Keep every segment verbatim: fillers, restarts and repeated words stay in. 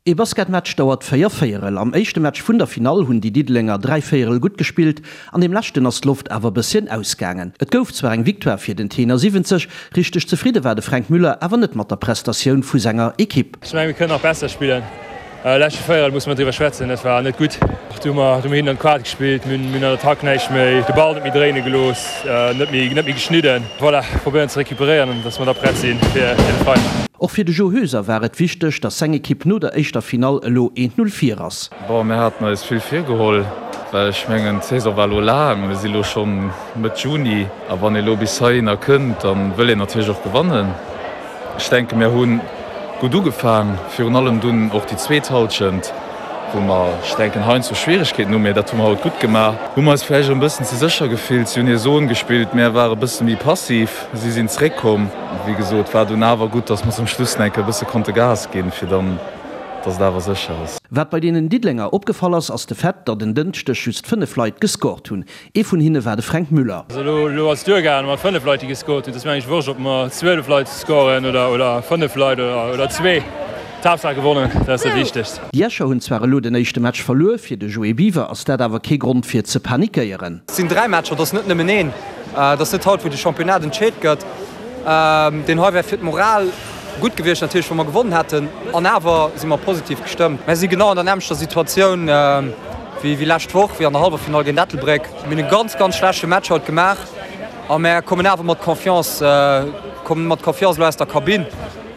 Ee Basketmatch dauert véier Véierel. Am éischte Match vun der Finall hunn déi Diddelenger dräi Véierel gutt gespillt, an deem leschten ass d'Loft awer bësschen ausgaangen. Et gouf zwar eng Victoire fir den Tenor siwwenzeg, richteg zefridde war de Fränk Müller awer net mat der Prestatioun vu senger Ekipp. Ech mengen, mir kënnen nach besser spillen. Leschte Véierel musse mer driwwer schwätzen, dat war net gutt. Do hu mer do hu mer hinnen an d'Quart gespillt, mir hunn an der Attack näischt méi, de Ball net méi dréine gelooss, net méi net méi geschnidden. Voilà, probéieren ze recuperéieren an dass mer da prett si fir de Freiden. Och fir de Jo Hoeser war et wichteg, dass seng Ekipp no der éischter Finall elo eent Null vir ass. Bon, mir haten eis vill virgeholl, well ech mengen, d'Saison war elo laang, mir si elo scho Mëtt Juni a wann ee elo bis heihinner kënnt, da wëll een natierlech och gewannen. Ech denke mir hu gutt ugefaang, virun allem dunn och déi zweet Hallschent, wou mer, ech denken, heiansdo Schwieregkeeten hu, mee dat hu mer haut gutt gemaach. Hu mer eis vläicht och e bëssen ze sécher gefillt. Si hunn hir Zon gespillt, mär ware e bësse méi passiv, si sinn zeréckkomm. Wéi gesot, war dunn awer gutt, datt mer zum Schluss nach eng Kéier e bësse konnte Gas ginn, fir dann, datt et awer sécher ass. Wat bei deenen Diddelenger opgefall ass, ass de Fait, datt en Dënschdeg just fënnef Leit gescored hunn. Ee vun hinne war de Fränk Müller. Also elo elo ass et duergaangen mat fënnef Leit, déi gescored hunn. Et ass mir eigentlech wurscht, ob mer zwielef Leit scoren oder oder fënnef Leit oder oder zwee. D'Haaptsaach gewonnen, dat ass dat Wichtegst. Déi Escher hunn zwar elo den éischte Match verluer, fir de Joé Biver ass dat awer kee Grond fir ze panikéieren. Et sinn dräi Matcher, et ass net nëmmen een. Et ass net haut, wou de Championnat entscheet gëtt. Deen hei wär fir d'Moral gutt gewiescht natierlech, wa mer gewonnen hätten. An awer si mer positiv gestëmmt. Mer si genau an der nämmlechter Situatioun wéi lescht Woch, wéi an der Halleffinall géint Ettelbréck. Mir hunn e ganz, ganz schlechte Match haut gemaach a mer kommen awer mat Confiance, kommen mat Confiance elo aus der Kabinn.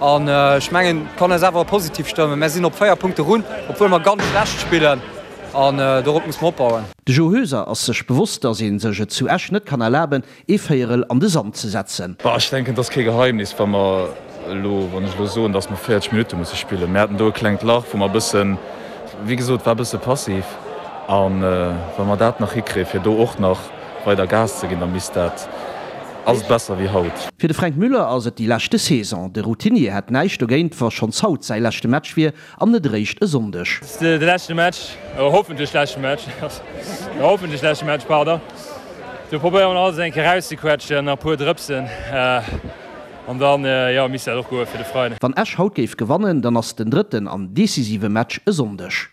An ech mengen, et kann eis awer positiv stëmmen. Mer sinn op véier Punkte run, obwuel mer ganz schlecht spillen. An dorop muss mer opbauen. De Jo Hoeser ass sech bewosst, datt ee sech et zu Esch net kann erlaben, ee Véierel an de Sand ze setzen. Bah, ech denken, et ass kee Geheimnis, wa mer elo, wann ech elo soen, datt mer véierzeg Minutte musse spillen. Mir haten do e klengt Lach, wou mer e bëssen, wéi gesot, war e bësse passiv. A wa mer dat nach hikréien, fir do och nach weider Gas ze ginn, da misst dat, ass et besser wéi haut. Fir de Fränk Müller ass et déi leschte Saison. De Routinier hätt näischt dogéint, wa schonns haut säi leschte Match wier an net eréischt e Sonndeg. De leschte Match, oder hoffentlech leschte Match, hoffentlech leschte Match, pardon. Do probéiere mer alles eng Kéier erauszequetschen, nach e puer Drëpsen, an dann, jo, misst dat och goe fir de Freiden. Wann Esch haut géif gewannen, dann ass den drëtten an decisive Match e Sonndeg.